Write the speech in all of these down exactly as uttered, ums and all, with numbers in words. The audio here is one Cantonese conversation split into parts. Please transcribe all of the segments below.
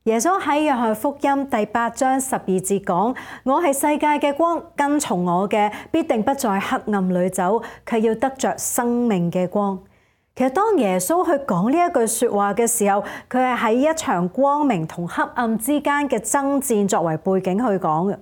耶穌喺約翰福音第八章十二節講：我係世界嘅光，跟從我嘅必定不在黑暗裏走，卻要得着生命嘅光。其實當耶穌去講呢一句說話嘅時候，佢係喺一場光明同黑暗之間嘅爭戰作為背景去講嘅。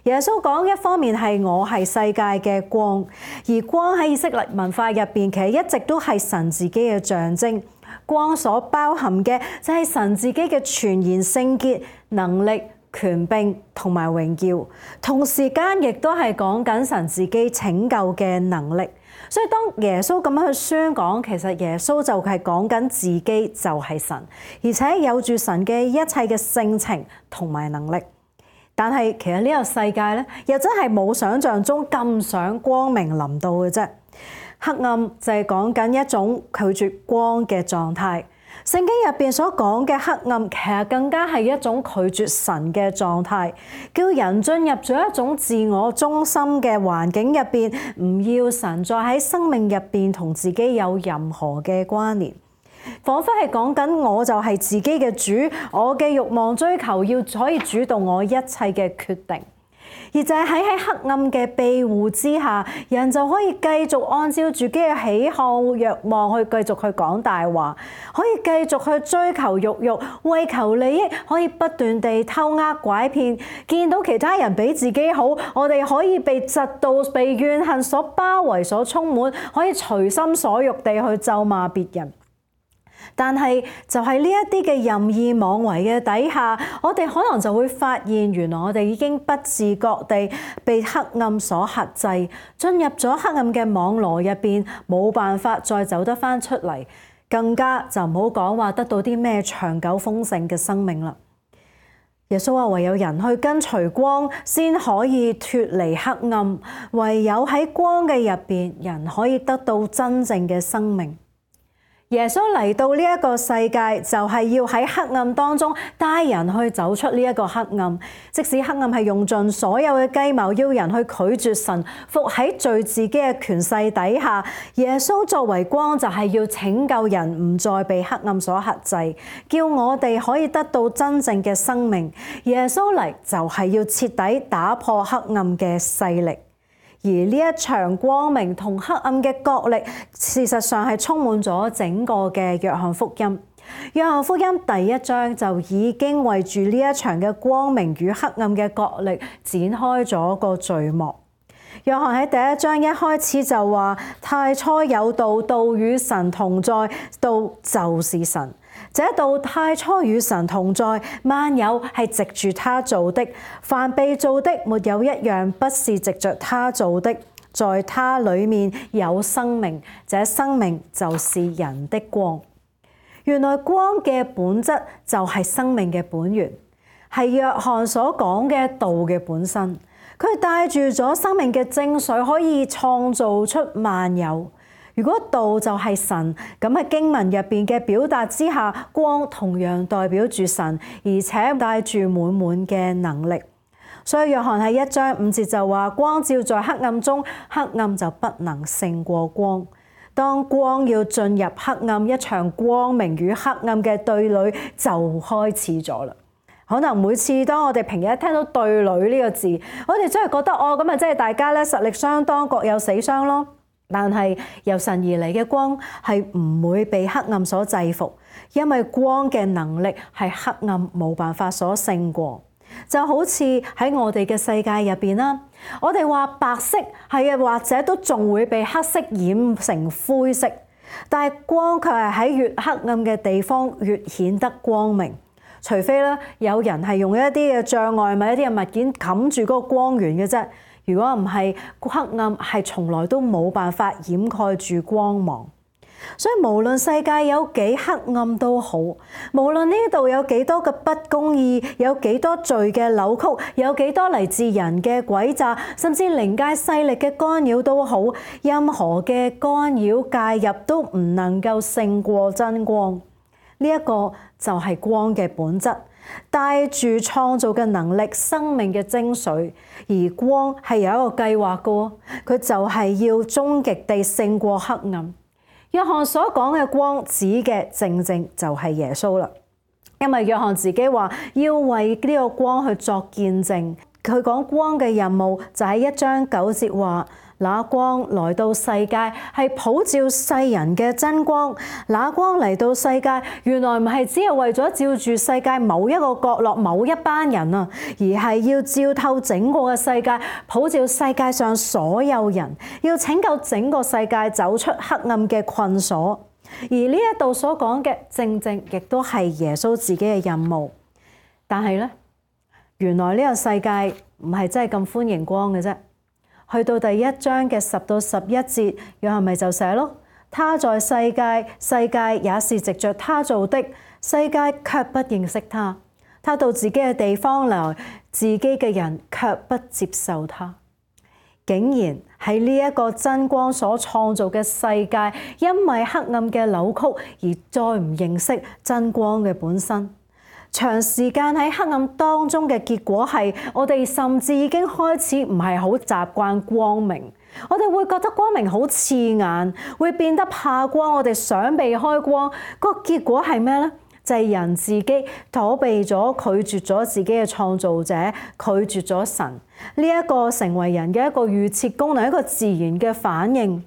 耶穌講，一方面係我係世界嘅光，而光喺以色列文化入邊，其實一直都係神自己嘅象徵。光所包含嘅就係神自己嘅全然聖潔、能力、權柄同埋榮耀，同時間亦都係講緊神自己拯救嘅能力。所以當耶穌咁樣去宣講，其實耶穌就係講緊自己就係神，而且有住神嘅一切嘅性情同埋能力。但係其實呢個世界咧，又真係冇想象中咁想光明臨到嘅啫。黑暗就係講緊一種拒絕光嘅狀態。聖經入邊所講嘅黑暗，其實更加係一種拒絕神嘅狀態，叫人進入咗一種自我中心嘅環境入邊，唔要神再喺生命入邊同自己有任何嘅關聯。彷彿係講緊我就係自己嘅主，我嘅慾望追求要可以主導我一切嘅決定。而就係喺喺黑暗嘅庇護之下，人就可以繼續按照自己嘅喜好、慾望去繼續去講大話，可以繼續去追求慾慾，為求利益，可以不斷地偷呃拐騙。見到其他人比自己好，我哋可以被嫉妒、被怨恨所包圍、所充滿，可以隨心所欲地去咒罵別人。但係就係呢一啲嘅任意妄為嘅底下，我哋可能就會發現，原來我哋已經不自覺地被黑暗所轄制，進入咗黑暗嘅網羅入邊，冇辦法再走得返出嚟，更加就唔好講話得到啲咩長久豐盛嘅生命啦。耶穌話：唯有人去跟隨光，先可以脫離黑暗；唯有喺光嘅入邊，人可以得到真正嘅生命。耶穌嚟到呢一個世界，就係要喺黑暗當中帶人去走出呢一個黑暗。即使黑暗係用盡所有嘅計謀，要人去拒絕神，伏喺罪自己嘅權勢底下，耶穌作為光，就係要拯救人唔再被黑暗所轄制，叫我哋可以得到真正嘅生命。耶穌嚟就係要徹底打破黑暗嘅勢力。而呢一場光明同黑暗嘅角力，事實上係充滿咗整個嘅約翰福音。約翰福音第一章就已經為住呢一場嘅光明與黑暗嘅角力展開咗個序幕。約翰喺第一章一開始就話：太初有道，道與神同在，道就是神。這道太初與神同在，萬有係藉住他做的，凡被造的沒有一樣不是藉着他做的。在他裡面有生命，這生命就是人的光。原來光嘅本質就係生命嘅本源，係約翰所講嘅道嘅本身。佢帶住咗生命嘅精髓，可以創造出萬有。如果道就係神，咁喺經文入邊嘅表達之下，光同樣代表住神，而且帶住滿滿嘅能力。所以約翰喺一章五節就話：光照在黑暗中，黑暗就不能勝過光。當光要進入黑暗，一場光明與黑暗嘅對壘就開始咗啦。可能每次當我哋平日一聽到對壘呢個字，我哋真係覺得哦，咁啊，即係大家咧實力相當，各有死傷咯。但係由神而嚟嘅光係唔會被黑暗所制服，因為光嘅能力係黑暗冇辦法所勝過。就好似喺我哋嘅世界入邊啦，我哋話白色係啊，或者都仲會被黑色染成灰色，但係光卻係喺越黑暗嘅地方越顯得光明。除非咧有人係用一啲嘅障礙物、一啲嘅物件冚住嗰個光源嘅啫。如果唔係，黑暗係從來都冇辦法掩蓋住光芒。所以無論世界有幾黑暗都好，無論呢度有幾多嘅不公義，有幾多罪嘅扭曲，有幾多嚟自人嘅詭詐，甚至靈界勢力嘅干擾都好，任何嘅干擾介入都唔能夠勝過真光。呢一個就係光嘅本質，帶住創造嘅能力、生命嘅精髓。而光係有一個計劃嘅，佢就係要終極地勝過黑暗。約翰所講嘅光指嘅正正就係耶穌啦。因為約翰自己話要為呢個光去作見證，佢講光嘅任務就喺一章九節話，那光來到世界係普照世人嘅真光。那光嚟到世界，原來唔係只係為咗照住世界某一個角落某一班人啊，而係要照透整個嘅世界，普照世界上所有人，要拯救整個世界走出黑暗嘅困鎖。而呢一度所講嘅正正亦都係耶穌自己嘅任務。但係咧，原來呢個世界唔係真係咁歡迎光嘅啫。去到第一章嘅十到十一節，約翰咪就寫咯，他在世界，世界也是藉着他做的，世界卻不認識他。他到自己嘅地方來，自己嘅人卻不接受他。竟然喺呢一個真光所創造嘅世界，因為黑暗嘅扭曲而再唔認識真光嘅本身。長時間喺黑暗當中嘅結果係，我哋甚至已經開始唔係好習慣光明。我哋會覺得光明好刺眼，會變得怕光。我哋想避開光，個結果係咩呢？就係人自己躲避咗，拒絕咗自己嘅創造者，拒絕咗神。呢一個成為人嘅一個預設功能，一個自然嘅反應。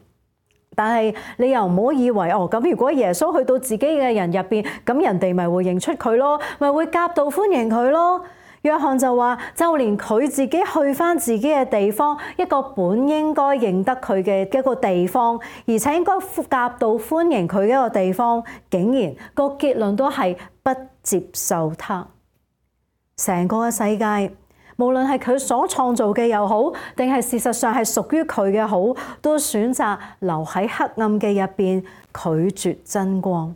但係你又唔好以為哦，咁如果耶穌去到自己嘅人入邊，咁人哋咪會認出佢咯，咪會夾道歡迎佢咯。約翰就話，就連佢自己去返自己嘅地方，一個本應該認得佢嘅一個地方，而且應該夾道歡迎佢嘅一個地方，竟然個結論都係不接受他。成個嘅世界，無論係佢所創造嘅又好，定係事實上係屬於佢嘅好，都選擇留喺黑暗嘅入邊，拒絕真光。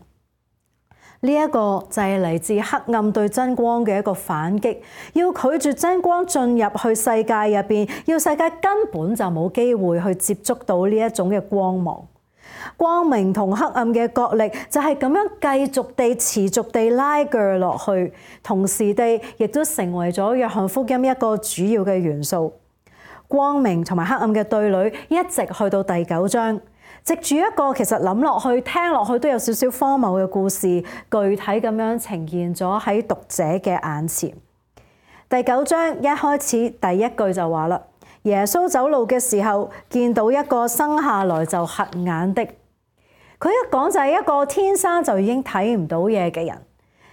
呢一個就係嚟自黑暗對真光嘅一個反擊，要拒絕真光進入去世界入邊，要世界根本就冇機會去接觸到呢一種嘅光芒。光明同黑暗嘅角力就係咁樣繼續地持續地拉鋸落去，同時地亦都成為咗約翰福音一個主要嘅元素。光明同埋黑暗嘅對壘一直去到第九章。藉住一個其實諗落去、聽落去都有少少荒謬嘅故事，具體咁樣呈現咗喺讀者嘅眼前。第九章一開始第一句就話啦，耶穌走路嘅時候，見到一個生下來就瞎眼的。佢一講就係一個天生就已經睇唔到嘢嘅人。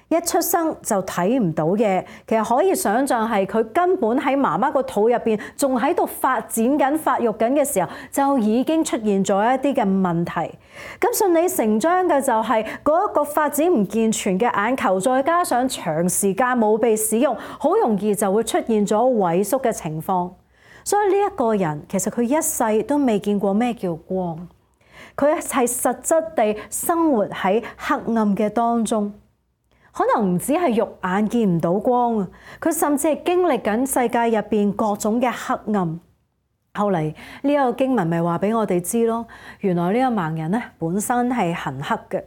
一出生就睇唔到嘢，其實可以想像係佢根本喺媽媽個肚入邊仲喺度發展緊、發育緊嘅時候，就已經出現咗一啲嘅問題。咁順理成章嘅就係嗰一個發展唔健全嘅眼球，再加上長時間冇被使用，好容易就會出現咗萎縮嘅情況。所以呢一個人其實佢一世都未見過咩叫光，佢係實質地生活喺黑暗嘅當中。可能唔止係肉眼見唔到光啊，佢甚至係經歷緊世界入邊各種嘅黑暗。後嚟呢一個經文咪話俾我哋知咯，原來呢個盲人咧本身係行黑嘅，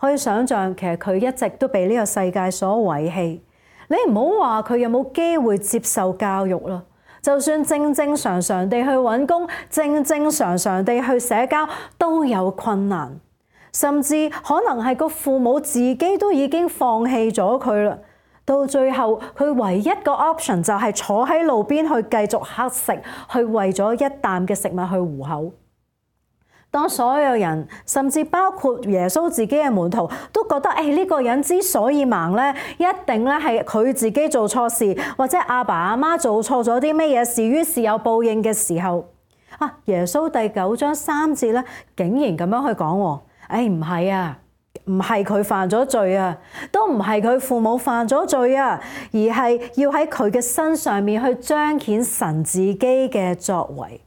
可以想像其實佢一直都被呢個世界所遺棄。你唔好話佢有冇機會接受教育啦，就算正正常常地去揾工，正正常常地去社交都有困難。甚至可能係個父母自己都已經放棄咗佢啦，到最後佢唯一個 option 就係坐喺路邊去繼續乞食，去為咗一啖嘅食物去糊口。當所有人，甚至包括耶穌自己嘅門徒，都覺得誒呢個人之所以盲咧，一定咧係佢自己做錯事，或者阿爸阿媽做錯咗啲咩嘢事，於是有報應嘅時候，啊耶穌第九章三節咧，竟然咁樣去講喎。誒唔係啊，唔係佢犯咗罪啊，都唔係佢父母犯咗罪啊，而係要喺佢嘅身上面去彰顯神自己嘅作為。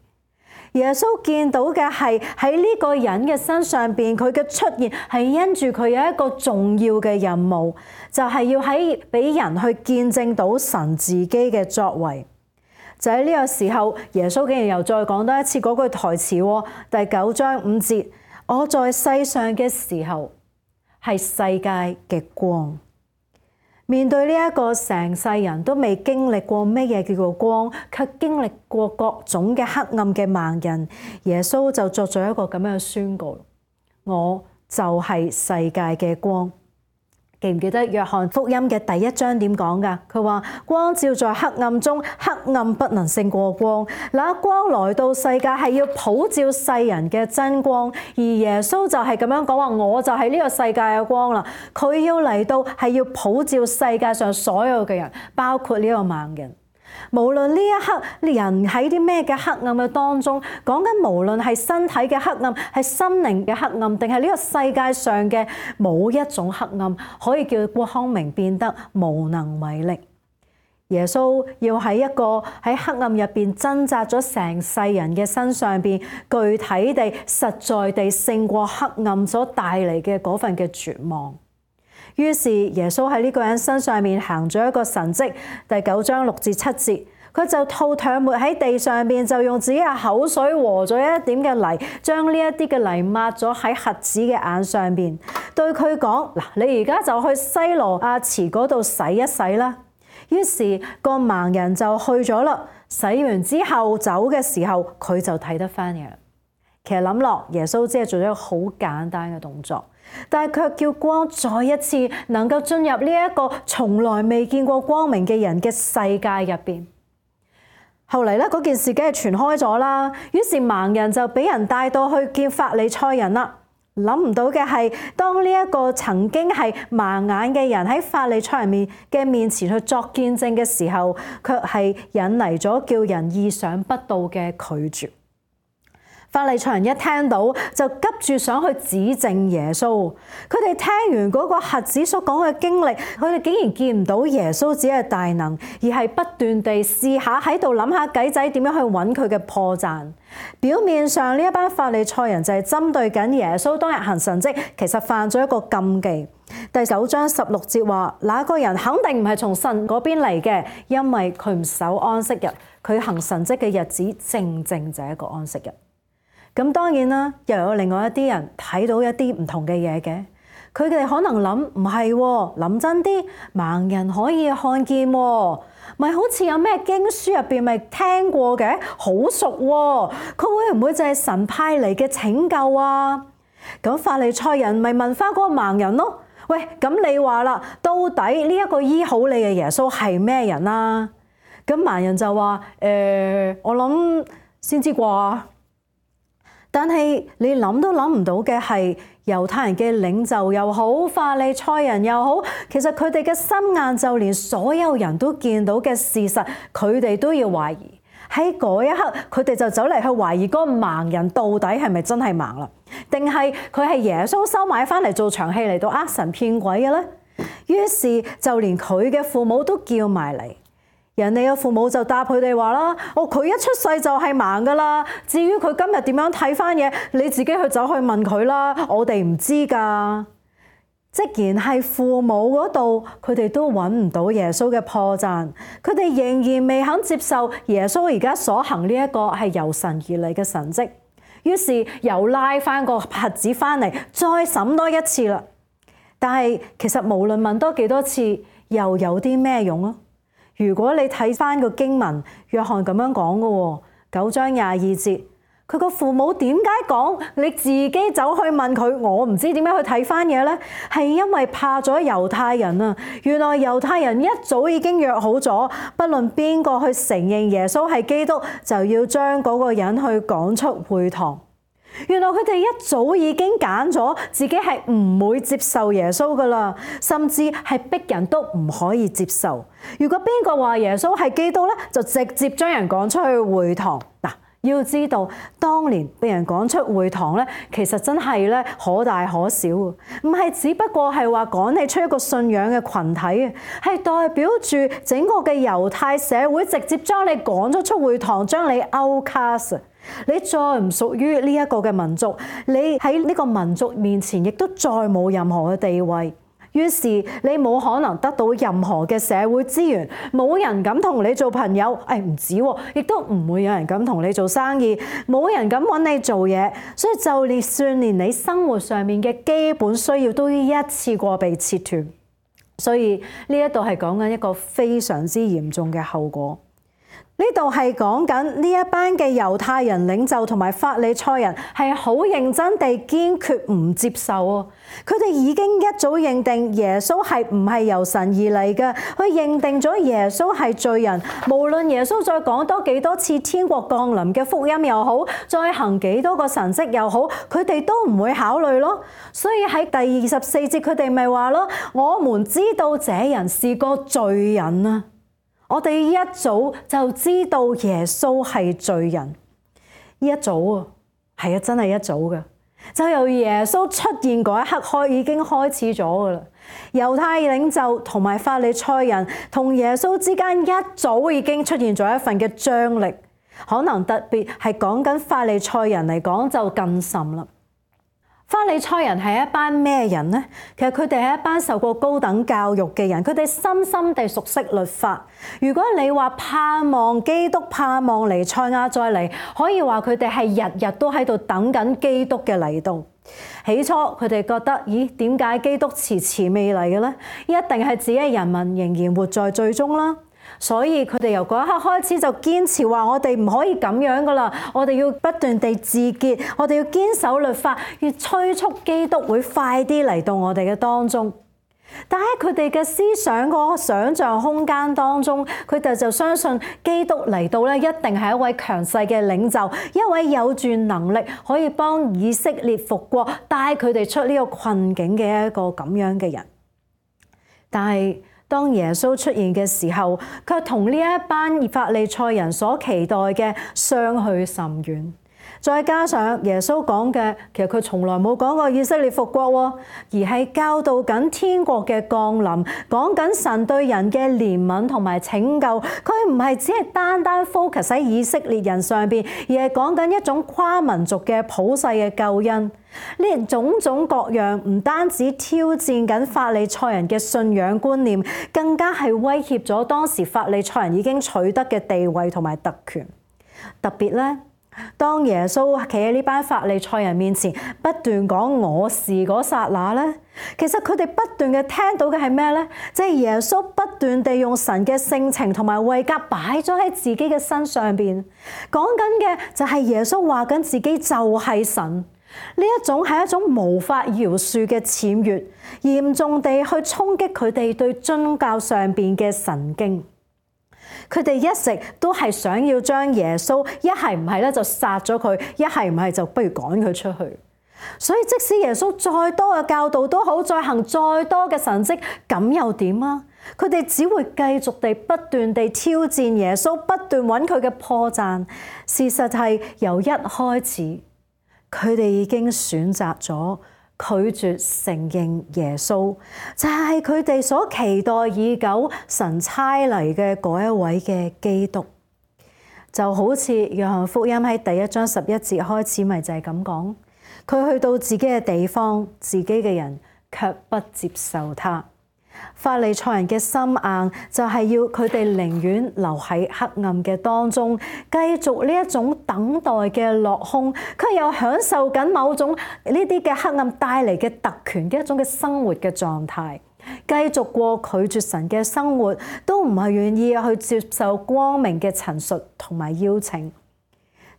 耶穌見到嘅係喺呢個人嘅身上邊，佢嘅出現係因住佢有一個重要嘅任務，就係要喺俾人去見證到神自己嘅作為。就喺呢個時候，耶穌竟然又再講多一次嗰句台詞喎，第九章五節。我在世上嘅時候係世界嘅光。面對呢一個成世人都未經歷過咩嘢叫做光，卻經歷過各種嘅黑暗嘅盲人，耶穌就作咗一個咁樣嘅宣告：我就係世界嘅光。記唔記得約翰福音嘅第一章點講㗎？佢話光照在黑暗中，黑暗不能勝過光。那光來到世界係要普照世人嘅真光，而耶穌就係咁樣講話，我就係呢個世界嘅光啦。佢要嚟到係要普照世界上所有嘅人，包括呢個盲人。無論呢一刻人喺啲咩嘅黑暗嘅當中，講緊無論係身體嘅黑暗，係心靈嘅黑暗，定係呢個世界上嘅冇一種黑暗可以叫光明變得無能為力。耶穌要喺一個喺黑暗入邊掙扎咗成世人嘅身上邊，具體地、實在地勝過黑暗所帶嚟嘅嗰份嘅絕望。於是耶穌喺呢個人身上面行咗一個神蹟，第九章六至七節，佢就吐唾沫喺地上邊，就用自己嘅口水和咗一點嘅泥，將呢一啲嘅泥抹咗喺瞎子嘅眼上邊，對佢講：嗱，你而家就去西羅亞池嗰度洗一洗啦。於是個盲人就去咗啦，洗完之後走嘅時候，佢就睇得返嘢。其實諗落，耶穌只係做咗一個好簡單嘅動作，但係卻叫光再一次能夠進入呢一個從來未見過光明嘅人嘅世界入邊。後嚟咧，嗰件事梗係傳開咗啦，於是盲人就俾人帶到去見法利賽人啦。諗唔到嘅係，當呢一個曾經係盲眼嘅人喺法利賽人面嘅面前去作見證嘅時候，卻係引嚟咗叫人意想不到嘅拒絕。法利賽人一聽到就急住想去指證耶穌，佢哋聽完嗰個瞎子所講嘅經歷，佢哋竟然見唔到耶穌只係大能，而係不斷地試下喺度諗下計仔點樣去揾佢嘅破綻。表面上呢一班法利賽人就係針對緊耶穌當日行神蹟，其實犯咗一個禁忌。第九章十六節話，那個人肯定唔係從神嗰邊嚟嘅，因為佢唔守安息日，佢行神蹟嘅日子正正就係一個安息日。咁當然啦，又有另外一啲人睇到一啲唔同嘅嘢嘅，佢哋可能諗唔係喎，諗真啲，盲人可以看見喎，咪好似有咩經書入邊咪聽過嘅，好熟喎，佢會唔會就係神派嚟嘅拯救啊？咁法利賽人咪問翻嗰個盲人咯，喂，咁你話啦，到底呢一個醫好你嘅耶穌係咩人啊？咁盲人就話：誒、呃，我諗先知啩。但係你諗都諗唔到嘅係，猶太人嘅領袖又好，法利賽人又好，其實佢哋嘅心眼就連所有人都見到嘅事實，佢哋都要懷疑。喺嗰一刻，佢哋就走嚟去懷疑嗰個盲人到底係咪真係盲啦？定係佢係耶穌收買翻嚟做場戲嚟到呃神騙鬼嘅咧？於是就連佢嘅父母都叫埋嚟。人哋嘅父母就答佢哋話啦：哦，佢一出世就係盲噶啦。至於佢今日點樣睇翻嘢，你自己去走去問佢啦，我哋唔知噶。既然係父母嗰度，佢哋都揾唔到耶穌嘅破綻，佢哋仍然未肯接受耶穌而家所行呢一個係由神而嚟嘅神蹟。於是又拉翻個瞎子翻嚟，再審多一次啦。但係其實無論問多幾多次，又有啲咩用啊？如果你睇翻個經文，約翰咁樣講嘅喎，九章廿二節，佢個父母點解講你自己走去問佢？我唔知點樣去睇翻嘢呢？係因為怕咗猶太人啊！原來猶太人一早已經約好咗，不論邊個去承認耶穌係基督，就要將嗰個人去趕出會堂。原來佢哋一早已經揀咗自己係唔會接受耶穌噶啦，甚至係逼人都唔可以接受。如果邊個話耶穌係基督咧，就直接將人趕出去會堂。嗱，要知道當年被人趕出會堂咧，其實真係咧可大可小，唔係只不過係話趕你出一個信仰嘅群體啊，係代表住整個嘅猶太社會直接將你趕咗出會堂，將你 outcast。你再唔屬於呢一個嘅民族，你喺呢個民族面前亦都再冇任何嘅地位。於是你冇可能得到任何嘅社會資源，冇人敢同你做朋友。誒唔止喎，亦都唔會有人敢同你做生意，冇人敢揾你做嘢。所以就連算連你生活上面嘅基本需要都要一次過被切斷。所以呢一度係講緊一個非常之嚴重嘅後果。呢度係講緊呢一班嘅猶太人領袖同埋法利賽人係好認真地堅決唔接受啊！佢哋已經一早認定耶穌係唔係由神而嚟嘅，佢認定咗耶穌係罪人。無論耶穌再講多幾多次天國降臨嘅福音又好，再行幾多個神蹟又好，佢哋都唔會考慮咯。所以喺第二十四節佢哋咪話咯：我們知道這人是個罪人啊！我哋一早就知道耶穌係罪人，一早啊，係啊，真係一早嘅，就由耶穌出現嗰一刻開已經開始咗噶啦。猶太領袖同埋法利賽人同耶穌之間一早已經出現咗一份嘅張力，可能特別係講緊法利賽人嚟講就更甚啦。法利賽人係一班咩人呢？其實佢哋係一班受過高等教育嘅人，佢哋深深地熟悉律法。如果你話盼望基督、盼望彌賽亞再嚟，可以話佢哋係日日都喺度等緊基督嘅嚟到。起初佢哋覺得，咦，點解基督遲遲未嚟嘅呢？一定係自己嘅人民仍然活在罪中啦。所以佢哋由嗰一刻開始就堅持話：我哋唔可以咁樣噶啦，我哋要不斷地自潔，我哋要堅守律法，要催促基督會快啲嚟到我哋嘅當中。但喺佢哋嘅思想個想像空間當中，佢哋就相信基督嚟到咧，一定係一位強勢嘅領袖，一位有住能力可以幫以色列復國，帶佢哋出呢個困境嘅一個咁樣嘅人。但係當耶穌出現嘅時候，卻同呢一班法利賽人所期待嘅相去甚遠。再加上耶穌講嘅，其實佢從來冇講過以色列復國，而係教導緊天國嘅降臨，講緊神對人嘅憐憫同埋拯救。佢唔係只係單單 focus 喺以色列人上邊，而係講緊一種跨民族嘅普世嘅救恩。呢種種各樣唔單止挑戰緊法利賽人嘅信仰觀念，更加係威脅咗當時法利賽人已經取得嘅地位同埋特權。特別咧，當耶穌企喺呢班法利賽人面前，不斷講我是嗰剎那咧，其實佢哋不斷嘅聽到嘅係咩咧？即係耶穌不斷地用神嘅性情同埋位格擺咗喺自己嘅身上邊，講緊嘅就係耶穌話緊自己就係神。呢一種係一種無法饒恕嘅僭越，嚴重地去衝擊佢哋對宗教上邊嘅神經。佢哋一直都係想要將耶穌一係唔係咧就殺咗佢，一係唔係就不如趕佢出去。所以即使耶穌再多嘅教導都好，再行再多嘅神蹟，咁又點啊？佢哋只會繼續地不斷地挑戰耶穌，不斷揾佢嘅破綻。事實係由一開始，佢哋已經選擇咗拒絕承認耶穌，就係佢哋所期待已久神差嚟嘅嗰一位嘅基督。就好似約翰福音喺第一章十一節開始，咪就係咁講，佢去到自己嘅地方，自己嘅人卻不接受他。法利賽人嘅心硬，就係要佢哋寧願留喺黑暗嘅當中，繼續呢一種等待嘅落空，佢又享受緊某種呢啲嘅黑暗帶嚟嘅特權嘅一種嘅生活嘅狀態，繼續過拒絕神嘅生活，都唔係願意去接受光明嘅陳述同埋邀請。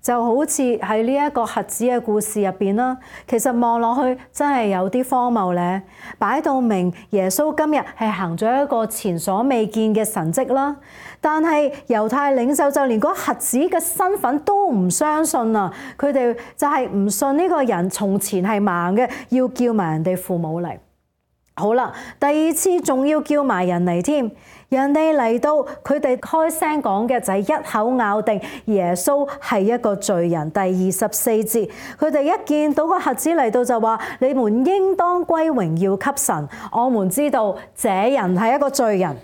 就好似喺呢一個瞎子嘅故事入邊啦，其實望落去真係有啲荒謬咧。擺到明耶穌今日係行咗一個前所未見嘅神蹟啦，但係猶太領袖就連嗰瞎子嘅身份都唔相信啊！佢哋就係唔信呢個人從前係盲嘅，要叫埋人哋父母嚟。好啦，第二次仲要叫埋人嚟添，人哋嚟到，佢哋開聲講嘅就係一口咬定耶穌係一個罪人。第二十四節，佢哋一見到個瞎子嚟到就話：你們應當歸榮耀給神，我們知道這人係一個罪人。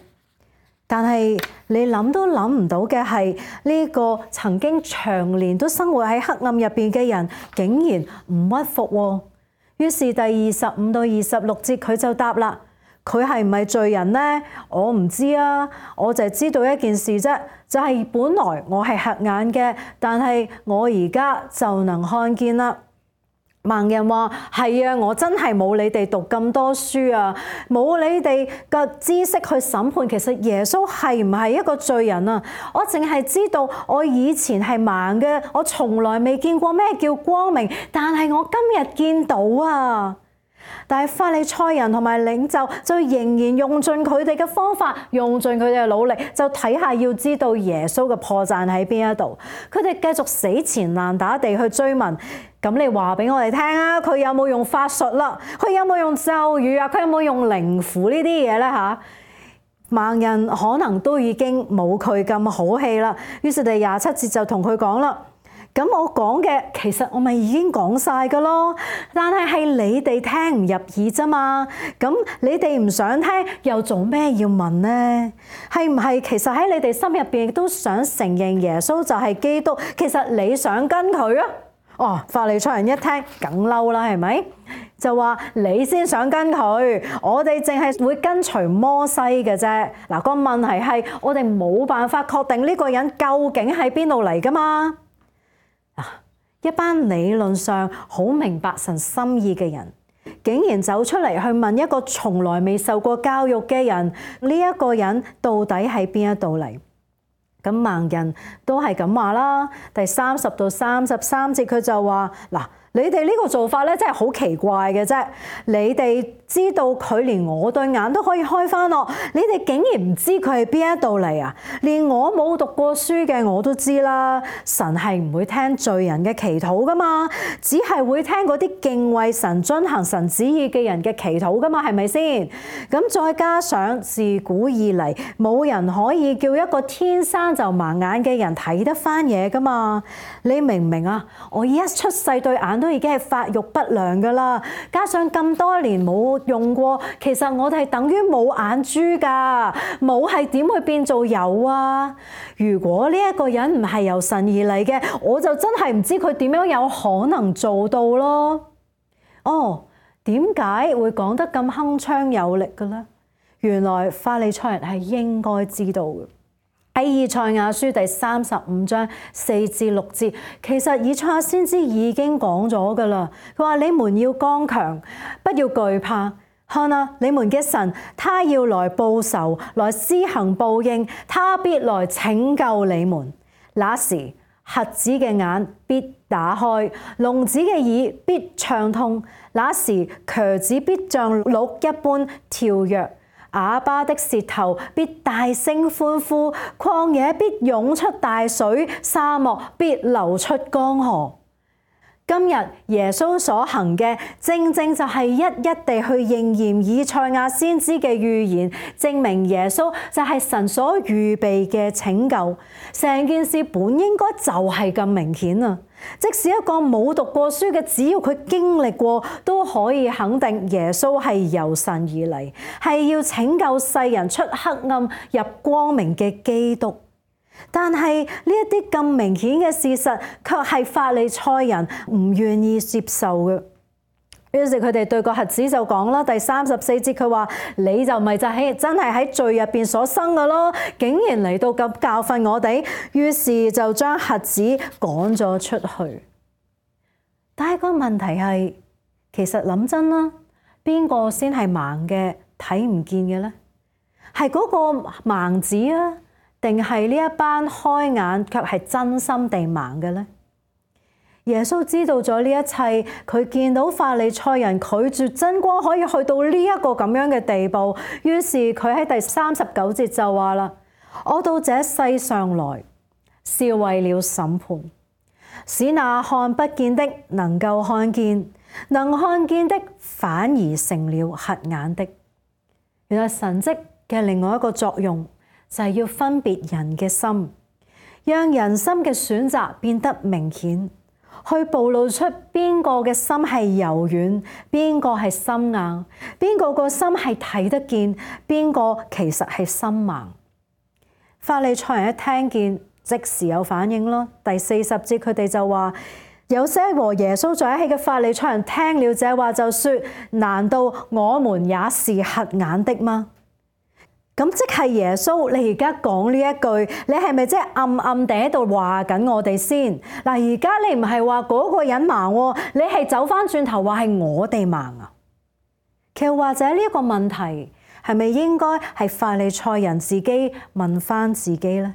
但係你諗都諗唔到嘅係呢個曾經長年都生活喺黑暗入邊嘅人，竟然唔屈服喎。於是第二十五到二十六節佢就答啦：佢係唔係罪人呢？我唔知啊，我就係知道一件事啫，就係本來我係瞎眼嘅，但係我而家就能看見啦。盲人話：係啊，我真係冇你哋讀咁多書啊，冇你哋嘅知識去審判，其實耶穌係唔係一個罪人啊？我淨係知道我以前係盲嘅，我從來未見過咩叫光明，但係我今日見到啊！但係法利賽人同埋領袖就仍然用盡佢哋嘅方法，用盡佢哋嘅努力，就睇下要知道耶穌嘅破綻喺邊一度。佢哋繼續死纏爛打地去追問。咁你話俾我哋聽啊，佢有冇用法術啦？佢有冇用咒語啊？佢有冇用靈符呢啲嘢咧嚇？盲人可能都已經冇佢咁好氣啦。於是第廿七節就同佢講啦。咁我講嘅其實我咪已經講晒㗎咯，但係係你哋聽唔入耳啫嘛。咁你哋唔想聽，又做咩要問呢？係唔係其實喺你哋心入邊都想承認耶穌就係基督？其實你想跟佢啊？哦，法利賽人一聽梗嬲啦，係咪？就話你先想跟佢，我哋淨係會跟隨摩西嘅啫。嗱，個問題係我哋冇辦法確定呢個人究竟喺邊度嚟㗎嘛。一班理論上好明白神心意嘅人，竟然走出嚟去問一個從來未受過教育嘅人，呢一個人到底喺邊一度嚟？咁盲人都係咁話啦。第三十到三十三節佢就話：嗱，你哋呢個做法咧真係好奇怪嘅啫。你哋知道佢連我對眼都可以開翻咯，你哋竟然唔知佢係邊一度嚟啊？連我冇讀過書嘅我都知啦。神係唔會聽罪人嘅祈禱噶嘛，只係會聽嗰啲敬畏神、遵行神旨意嘅人嘅祈禱噶嘛，係咪先？咁再加上自古以嚟冇人可以叫一個天生就盲眼嘅人睇得翻嘢噶嘛？你明唔明啊？我一出世對眼都已經係發育不良噶啦，加上咁多年冇用過，其實我哋係等於冇眼珠噶，冇係點會變做有啊？如果呢一個人唔係由神而嚟嘅，我就真係唔知佢點樣有可能做到咯。哦，點解會講得咁鏗鏘有力嘅咧？原來法利賽人係應該知道嘅。喺以賽亞書第三十五章四至六節，其實以賽亞先知已經講咗噶啦。佢話：你們要剛強，不要懼怕。看啊，你們嘅神，他要來報仇，來施行報應，他必來拯救你們。那時，瞎子嘅眼必打開，聾子嘅耳必暢通。那時，瘸子必像鹿一般跳躍。啞巴的舌頭必大聲歡呼，曠野必湧出大水，沙漠必流出江河。今日耶穌所行嘅，正正就係一一地去應驗以賽亞先知嘅預言，證明耶穌就係神所預備嘅拯救。成件事本應該就係咁明顯啊！即使一個冇讀過書嘅，只要佢經歷過，都可以肯定耶穌係由神而嚟，係要拯救世人出黑暗入光明嘅基督。但係呢一啲咁明顯嘅事實，卻係法利賽人唔願意接受嘅。於是佢哋對個瞎子就講啦，第三十四節佢話：你就咪就係真係喺罪入邊所生嘅咯，竟然嚟到咁教訓我哋。於是就將瞎子趕咗出去。但係個問題係，其實諗真啦，邊個先係盲嘅睇唔見嘅咧？係嗰個盲子啊，定係呢一班開眼卻係真心地盲嘅咧？耶穌知道咗呢一切，佢見到法利賽人拒絕真光可以去到呢一個咁樣嘅地步，於是佢喺第三十九節就話啦：我到這世上來，是為了審判，使那看不見的能夠看見，能看見的反而成了瞎眼的。原來神蹟嘅另外一個作用就係要分別人嘅心，讓人心嘅選擇變得明顯，去暴露出邊個嘅心係柔軟，邊個係心硬，邊個個心係睇得見，邊個其實係心盲。法利賽人一聽見，即時有反應咯。第四十節佢哋就話：有些和耶穌在一起嘅法利賽人聽了這話，就說：難道我們也是瞎眼的嗎？咁即係耶穌，你而家講呢一句，你係咪即係暗暗地喺度話緊我哋先？嗱，而家你唔係話嗰個人盲，你係走翻轉頭話係我哋盲啊？其實或者呢一個問題係咪應該係法利賽人自己問翻自己呢？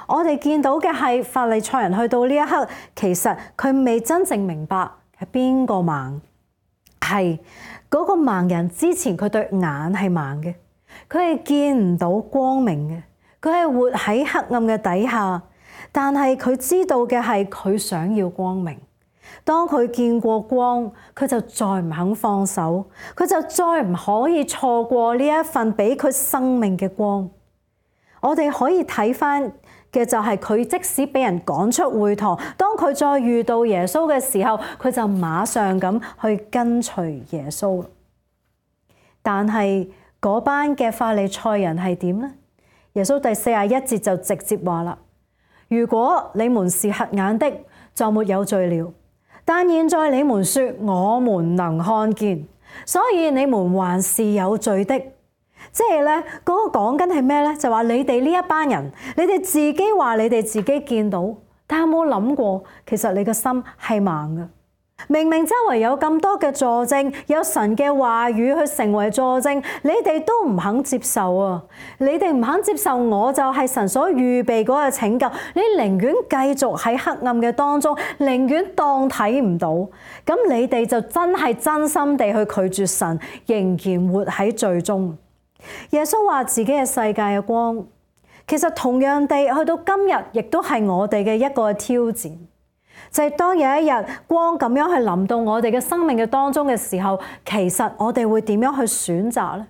我哋見到嘅係法利賽人去到呢一刻，其實佢未真正明白係邊個盲，係嗰個盲人之前佢對眼係盲嘅。佢係見唔到光明嘅，佢係活喺黑暗嘅底下，但係佢知道嘅係佢想要光明。當佢見過光，佢就再唔肯放手，佢就再唔可以錯過呢一份俾佢生命嘅光。我哋可以睇返嘅就係佢即使俾人趕出會堂，當佢再遇到耶穌嘅時候，佢就馬上咁去跟隨耶穌。但係嗰班嘅法利賽人係點呢？耶穌第四十一節就直接話啦：如果你們是瞎眼的，就沒有罪了。但現在你們說我們能看見，所以你們還是有罪的。即係咧，嗰個講緊係咩咧？就話你哋呢一班人，你哋自己話你哋自己見到，但有冇諗過，其實你個心係盲嘅。明明周圍有咁多嘅佐證，有神嘅話語去成為佐證，你哋都唔肯接受啊！你哋唔肯接受，我就係神所預備嗰個拯救，你寧願繼續喺黑暗嘅當中，寧願當睇唔到，咁你哋就真係真心地去拒絕神，仍然活喺罪中。耶穌話自己係世界嘅光，其實同樣地去到今日，亦都係我哋嘅一個挑戰。就係當有一日光咁樣去臨到我哋嘅生命嘅當中嘅時候，其實我哋會點樣去選擇呢？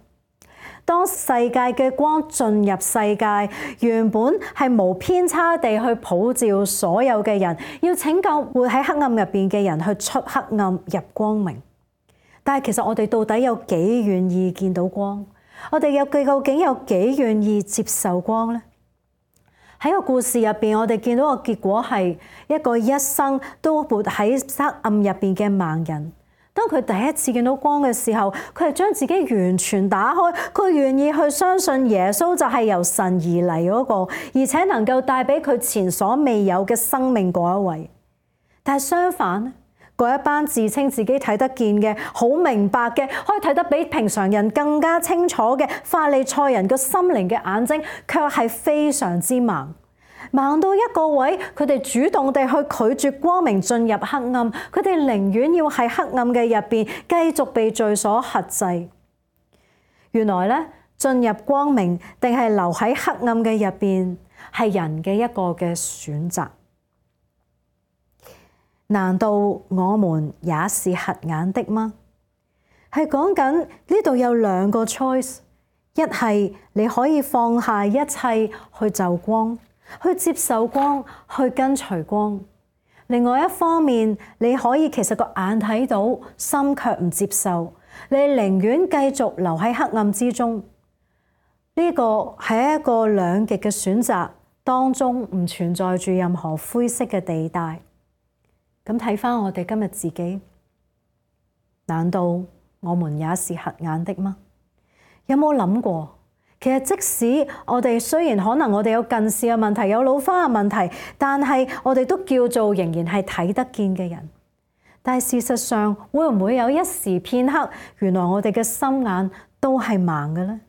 當世界嘅光進入世界，原本係無偏差地去普照所有嘅人，要拯救活喺黑暗入邊嘅人去出黑暗入光明。但係其實我哋到底有幾願意見到光？我哋有究竟有幾願意接受光呢？喺個故事入邊，我哋見到個結果係一個一生都活喺黑暗入邊嘅盲人。當佢第一次見到光嘅時候，佢係將自己完全打開，佢願意去相信耶穌就係由神而嚟嗰個，而且能夠帶俾佢前所未有嘅生命嗰一位。但係相反，嗰一班自稱自己睇得見嘅、好明白嘅、可以睇得比平常人更加清楚嘅法利賽人個心靈嘅眼睛，卻係非常之盲，盲到一個位，佢哋主動地去拒絕光明進入黑暗，佢哋寧願要喺黑暗嘅入邊繼續被罪所轄制。原來咧，進入光明定係留喺黑暗嘅入邊，係人嘅一個嘅選擇。難道我們也是瞎眼的嗎？係講緊呢度有兩個 choice， 一係你可以放下一切去就光，去接受光，去跟隨光。另外一方面，你可以其實個眼睇到，心卻唔接受，你寧願繼續留喺黑暗之中。呢個係一個兩極嘅選擇，當中唔存在住任何灰色嘅地帶。咁睇返我哋今日自己，難道我們也是瞎眼的嗎？有冇諗過？其實即使我哋雖然可能我哋有近視嘅問題，有老花嘅問題，但係我哋都叫做仍然係睇得見嘅人。但係事實上，會唔會有一時片刻，原來我哋嘅心眼都係盲嘅呢？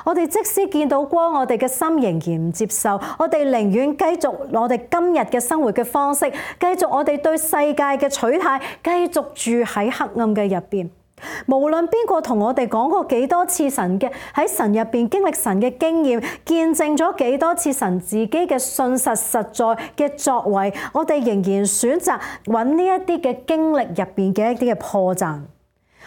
我哋即使見到光，我哋嘅心仍然唔接受，我哋寧願繼續我哋今日嘅生活嘅方式，繼續我哋對世界嘅取態，繼續住喺黑暗嘅入邊。無論邊個同我哋講過幾多次神嘅喺神入邊經歷神嘅經驗，見證咗幾多次神自己嘅信實實在嘅作為，我哋仍然選擇揾呢一啲嘅經歷入邊嘅一啲嘅破綻。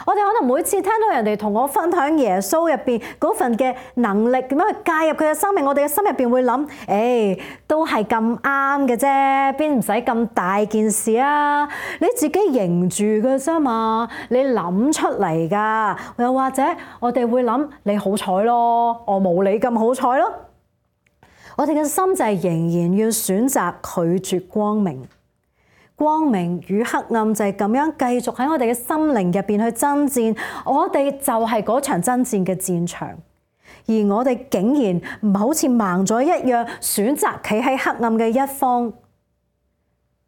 我哋可能每次聽到人哋同我分享耶穌入邊嗰份嘅能力，點樣去介入佢嘅生命，我哋嘅心入邊會諗：誒，都係咁啱嘅啫，邊唔使咁大件事啊？你自己認住嘅啫嘛，你諗出嚟㗎。又或者我哋會諗：你好彩咯，我冇你咁好彩咯。我哋嘅心就係仍然要選擇拒絕光明。光明與黑暗就係咁樣繼續喺我哋嘅心靈入邊去爭戰，我哋就係嗰場爭戰嘅戰場。而我哋竟然唔好似盲咗一樣，選擇企喺黑暗嘅一方。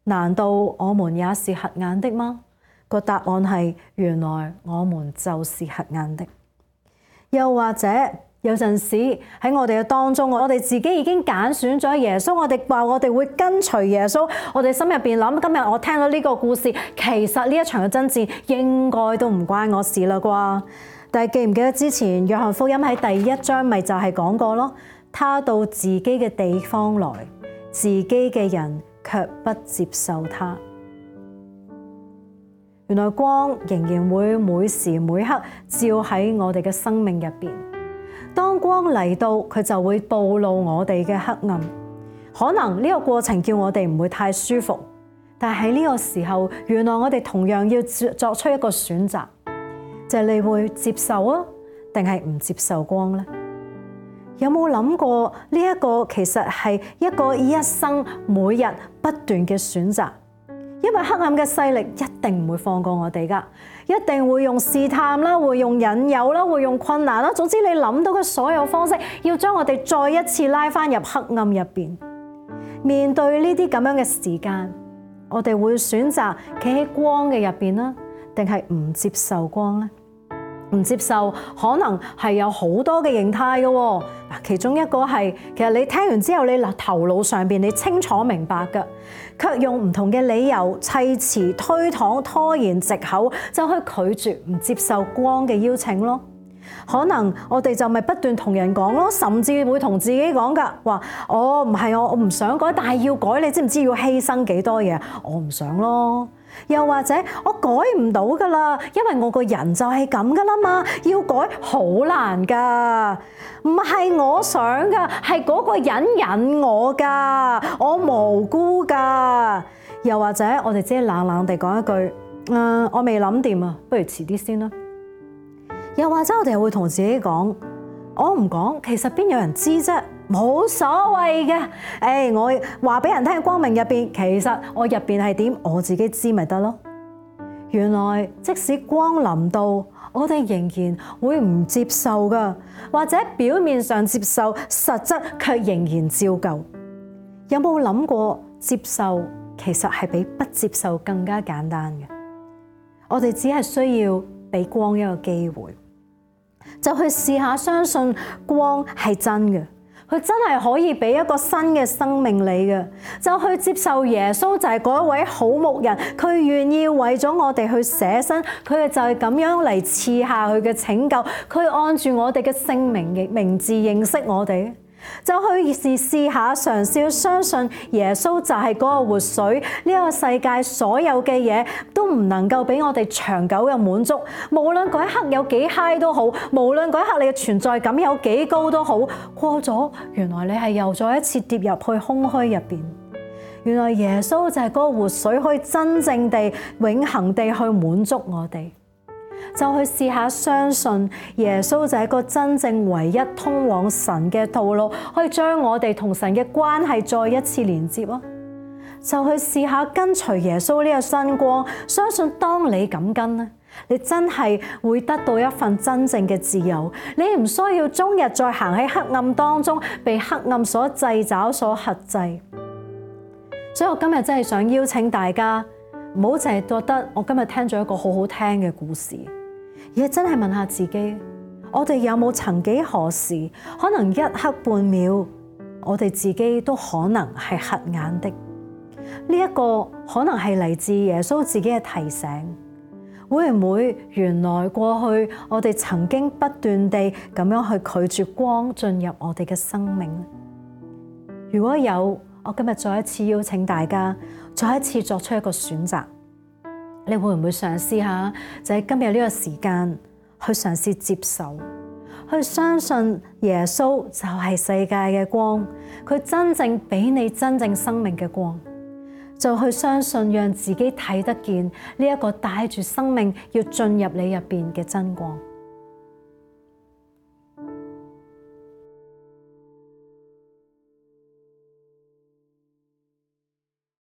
難道我們也是瞎眼的嗎？個答案係，原來我們就是瞎眼的。又或者有陣時喺我哋嘅當中，我哋自己已經揀選咗耶穌，我哋話我哋會跟隨耶穌，我哋心入邊諗，今日我聽到呢個故事，其實呢一場嘅爭戰應該都唔關我事啦啩。但係記唔記得之前約翰福音喺第一章咪就係講過咯？他到自己嘅地方來，自己嘅人卻不接受他。原來光仍然會每時每刻照喺我哋嘅生命入邊。當光嚟到，佢就會暴露我哋嘅黑暗。可能呢個過程叫我哋唔會太舒服，但係喺呢個時候，原來我哋同樣要作出一個選擇，就係你會接受啊，定係唔接受光呢？有冇諗過呢一個其實係一個一生每日不斷嘅選擇？因為黑暗嘅勢力一定唔會放過我哋噶，一定會用試探啦，會用引誘啦，會用困難啦，總之你諗到嘅所有方式，要將我哋再一次拉翻入黑暗入邊。面對呢啲咁樣嘅時間，我哋會選擇企喺光嘅入邊啦，定係唔接受光呢？唔接受可能係有好多嘅形態嘅喎，其中一個係其實你聽完之後，你頭腦上邊你清楚明白嘅，卻用唔同嘅理由砌詞推搪拖延藉口，就去拒絕唔接受光嘅邀請咯。可能我哋就咪不斷同人講咯，甚至會同自己講噶，話我唔係我我唔想改，但係要改，你知唔知要犧牲幾多嘢？我唔想咯。又或者我改唔到噶啦，因為我個人就係咁噶啦嘛，要改好難噶，唔係我想噶，係嗰個人引我噶，我無辜噶。又或者我哋只係冷冷地講一句，誒、呃，我未諗掂啊，不如遲啲先啦。又或者我哋會同自己講，我唔講，其實邊有人知啫？冇所謂嘅，誒、哎，我話俾人聽光明入邊，其實我入邊係點，我自己知咪得咯。原來即使光臨到，我哋仍然會唔接受噶，或者表面上接受，實質卻仍然照舊。有冇諗過接受其實係比不接受更加簡單嘅？我哋只係需要俾光一個機會，就去試下相信光係真嘅。佢真係可以俾一個新嘅生命你嘅，就去接受耶穌就係嗰一位好牧人，佢願意為咗我哋去捨身，佢就係咁樣嚟賜下佢嘅拯救，佢按住我哋嘅姓名嘅名字認識我哋，就去試試下嘗試去相信耶穌就係嗰個活水，呢個世界所有嘅嘢都唔能夠俾我哋長久嘅滿足，無論嗰一刻有幾嗨都好，無論嗰一刻你嘅存在感有幾高都好，過咗原來你係又再一次跌入去空虛入邊。原來耶穌就係嗰個活水，可以真正地永恆地去滿足我哋。就去試下相信耶穌就係一個真正唯一通往神嘅道路，可以將我哋同神嘅關係再一次連接啊！就去試下跟隨耶穌呢個新光，相信當你咁跟咧，你真係會得到一份真正嘅自由。你唔需要終日再行喺黑暗當中，被黑暗所掣肘、所轄制。所以我今日真係想邀請大家，唔好淨係覺得我今日聽咗一個好好聽嘅故事，而係真係問下自己，我哋有冇曾幾何時，可能一刻半秒，我哋自己都可能係瞎眼的。呢一個可能係嚟自耶穌自己嘅提醒。會唔會原來過去我哋曾經不斷地咁樣去拒絕光進入我哋嘅生命？如果有，我今日再一次邀請大家，再一次作出一個選擇。你會唔會嘗試下，就喺今日呢個時間去嘗試接受，去相信耶穌就係世界嘅光，佢真正俾你真正生命嘅光，就去相信，讓自己睇得見呢一個帶住生命要進入你入邊嘅真光。